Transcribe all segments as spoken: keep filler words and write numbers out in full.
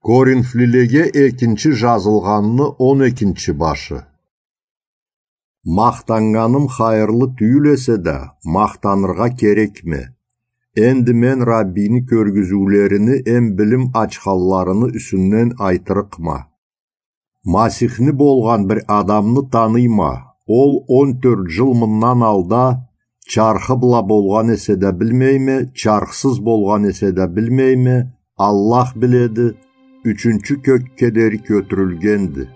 Коринфлилеге экинчи жазылгъанны он экинчи башы. Махтаннганым хайырлы тюйюл эсе да, махтаныргъа керекме. Энди мен Раббини кёргюзюулерини эм билим ачханларыны юсюнден айтырыкъма. Масихни болгъан бир адамны таныйма. Ол он тёрт жыл мындан алда чархы бла болгъан эсе да билмейме, чархсыз болгъан эсе да билмейме, Аллах биледи, ючюнчю кёкге дери кётюрюлгенди.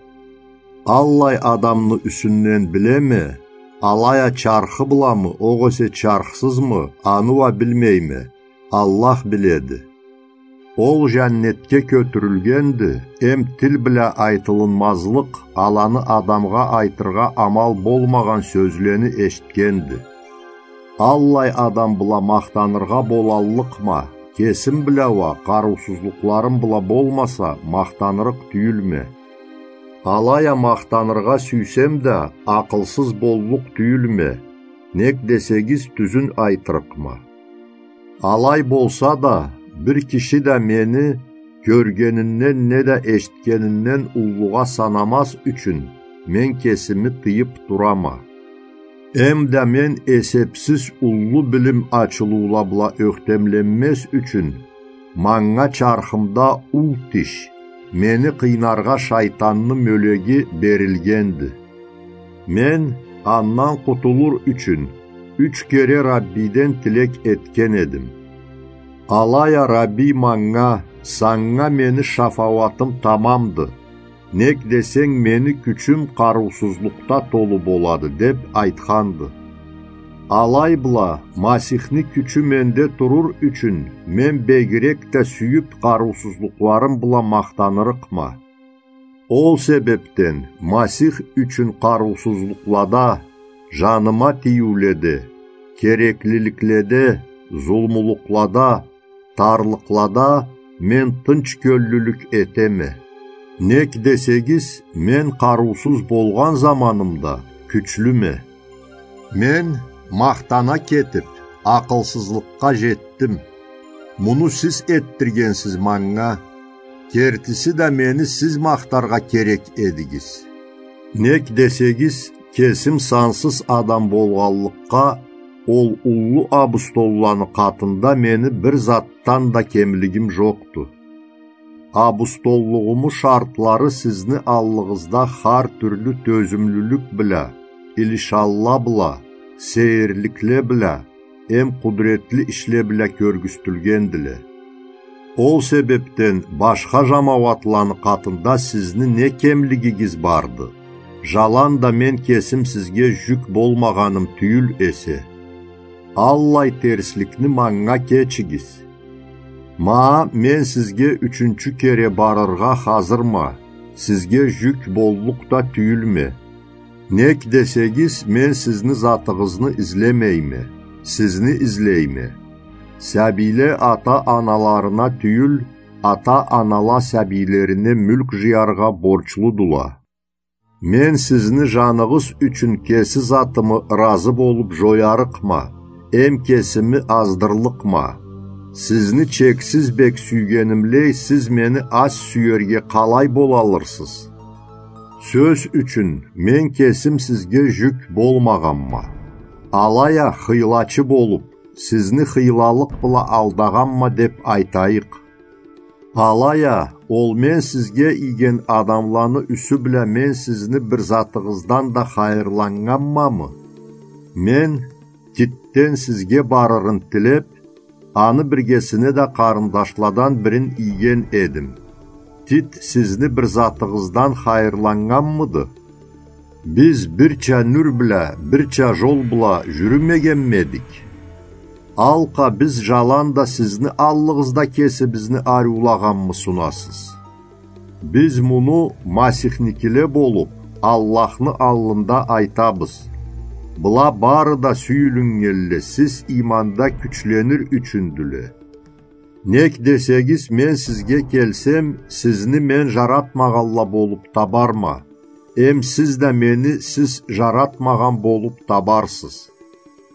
Аллай адамны юсюнден билеме, алай а чархы бламы, огъесе чархсызмы, аны уа билмейме, Аллах биледи. Ол жаннетге кётюрюлгенди, эм тил бла айтылынмазлыкъ аланы адамгъа айтыргъа амал болмагъан сёзлени эшитгенди. Аллай адам бла махтаныргъа болаллыкъма, кесим бла уа, къарыусузлукъларым бла болмаса, махтанырыкъ тюйюлме. Алай а махтаныргъа сюйсем да, акъылсыз боллукъ тюйюлме, нек десегиз, тюзюн айтырыкъма. Алай болса да, бир киши да мени кёргенинден неда эшитгенинден уллугъа санамаз ючюн, мен кесими тыйып турама. Эм да мен эсепсиз уллу билим ачылыула бла ёхтемленмез ючюн, манга чархымда ул тиш, мени къыйнаргъа шайтанны мёлеги берилгенди. Мен, андан къутулур ючюн, юч кере Раббиден тилек этген эдим. Алай а Рабби манга: «Санга мени шафауатым тамамды, нек десенг, мени кючюм къарыусузлукъда толу болады», — деп айтханды. Алай бла, Масихни кючю менде турур ючюн, мен бегирек да сюйюп къарыусузлукъларым бла махтанырыкъма. Ол себепден Масих ючюн къарыусузлукълада, жаныма тийиуледе, кереклиликледе, зулмулукълада, тарлыкълада мен тынч кёллюлюк этеме. Нек десегиз, мен къарыусуз болгъан заманымда кючлюме. Мен махтана кетип, акъылсызлыкъгъа жетдим. Муну сиз этдиргенсиз манга. Кертиси да, мени сиз махтаргъа керек эдигиз. Нек десегиз, кесим сансыз адам болгъанлыкъгъа, ол уллу абустолланы къатында мени бир затдан да кемлигим жокъду. Абустоллугъуму шартлары сизни аллыгъызда хар тюрлю тёзюмлюлюк бла, илишанла бла, сейирликле бла, эм къудретли ишле бла кёргюзтюлгендиле. Ол себепден башха жамауатланы къатында сизни не кемлигигиз барды, жаланда мен кесим сизге жюк болмагъаным тюйюл эсе. Аллай терсликни манга кечигиз. Ма мен сизге ючюнчю кере барыргъа хазырма, сизге жюк боллукъ да тюйюлме. Нек десегиз, мен сизни затыгъызны излемейме, сизни излейме. Сабийле ата-аналарына тюйюл, ата-анала сабийлерине мюлк жыяргъа борчлудула. Мен сизни жаныгъыз ючюн кеси затымы ыразы болуп жоярыкъма, эм кесими аздырлыкъма. Сизни чексиз бек сюйгенимлей, сиз мени аз сюерге къалай болалырсыз? Сёз ючюн, мен кесим сизге жюк болмагъанма. Алай а хыйлачы болуп, сизни хыйлалыкъ бла алдагъанма деп айтайыкъ. Алай а, ол мен сизге ийген адамланы юсю бла мен сизни бир затыгъыздан да хайырланнганмамы? Мен Титден сизге барырын тилеп, аны биргесине да къарындашладан бирин ийген эдим. Тит сизни бир затыгъыздан хайырланнганмыды? Биз бирча нюр бла, бирча жол бла жюрюмегенмедик? Алкъа, биз жаланда сизни аллыгъызда кесибизни ариулагъанмы сунасыз? Биз муну Масихникиле болуп, Аллахны аллында айтабыз. Была бары да сюйюлюннгенле сиз иманда кючленир ючюндюле. Нек десегиз, мен сизге келсем, сизни мен жаратмагъанла болуп табарма, эм сиз да мени сиз жаратмагъан болуп табарсыз.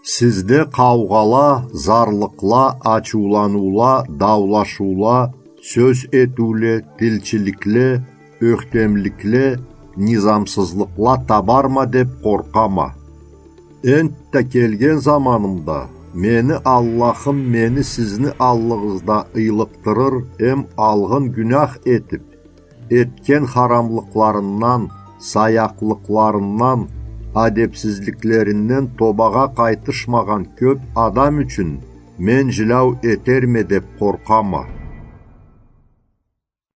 Сизде къаугъала, зарлыкъла, ачыуланыула, даулашыула, сёз этиуле, тилчиликле, ёхтемликле, низамсызлыкъла табарма деп къоркъама. Энтда келген заманымда мени Аллахым мени сизни аллыгъызда ыйлыкъдырыр эм алгъын гюнях этип, этген харамлыкъларындан, саякълыкъларындан, адепсизликлеринден тобагъа къайтышмагъан кёп адам ючюн мен жиляу этерме деп къоркъама.